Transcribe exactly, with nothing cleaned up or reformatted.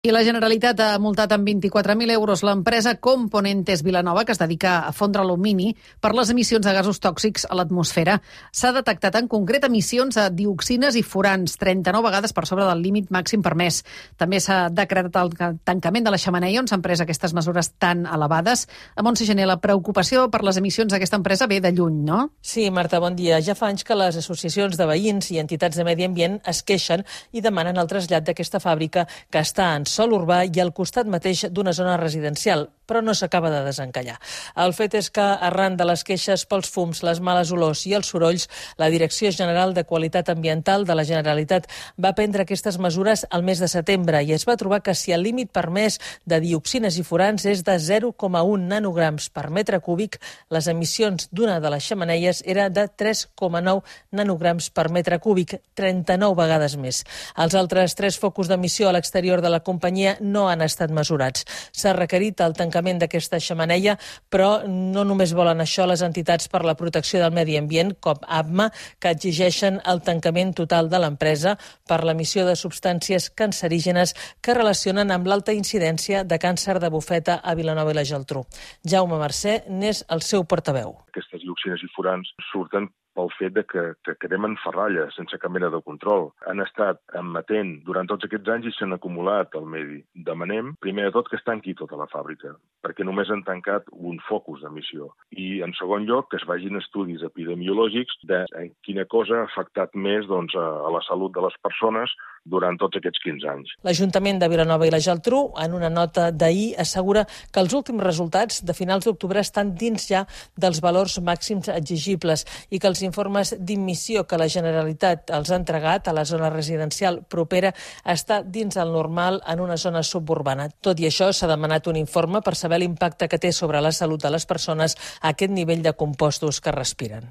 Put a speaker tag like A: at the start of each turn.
A: I la Generalitat ha multat amb vint-i-quatre mil euros l'empresa Componentes Vilanova, que es dedica a fondre alumini, per les emissions de gasos tòxics a l'atmosfera. S'ha detectat en concret emissions a dioxines i furans, trenta-nou vegades per sobre del límit màxim permès. També s'ha decretat el tancament de la xemeneia on s'han pres aquestes mesures tan elevades. A Montse Gené, la preocupació per les emissions d'aquesta empresa ve de lluny, no?
B: Sí, Marta, bon dia. Ja fa anys que les associacions de veïns i entitats de medi ambient es queixen i demanen el trasllat d'aquesta fàbrica que està en sòl urbà i al costat mateix d'una zona residencial, però no s'acaba de desencallar. El fet és que, arran de les queixes pels fums, les males olors i els sorolls, la Direcció General de Qualitat Ambiental de la Generalitat va prendre aquestes mesures al mes de setembre i es va trobar que si el límit permès de dioxines i furans és de zero coma un nanograms per metre cúbic, les emissions d'una de les xemeneies era de tres coma nou nanograms per metre cúbic, trenta-nou vegades més. Els altres tres focus d'emissió a l'exterior de la companyia no han estat mesurats. S'ha requerit el tancament d'aquesta xemeneia, però no només volen això les entitats per la protecció del medi ambient, com A B M A, que exigeixen el tancament total de l'empresa per l'emissió de substàncies cancerígenes que relacionen amb l'alta incidència de càncer de bufeta a Vilanova i la Geltrú. Jaume Mercè n'és el seu portaveu.
C: Aquestes dioxines i furans surten pel fet de que, que quedem en ferralla, sense cap mena de control. Han estat emetent durant tots aquests anys i s'han acumulat al medi. Demanem, primer de tot, que es tanqui tota la fàbrica, perquè només han tancat un focus d'emissió. I, en segon lloc, que es vagin estudis epidemiològics de quina cosa ha afectat més doncs, a la salut de les persones durant tots aquests quinze anys.
B: L'Ajuntament de Vilanova i la Geltrú, en una nota d'ahir, assegura que els últims resultats de finals d'octubre estan dins ja dels valors màxims exigibles i que els informes d'immissió que la Generalitat els ha entregat a la zona residencial propera està dins el normal en una zona suburbana. Tot i això, s'ha demanat un informe per saber l'impacte que té sobre la salut de les persones aquest nivell de compostos que respiren.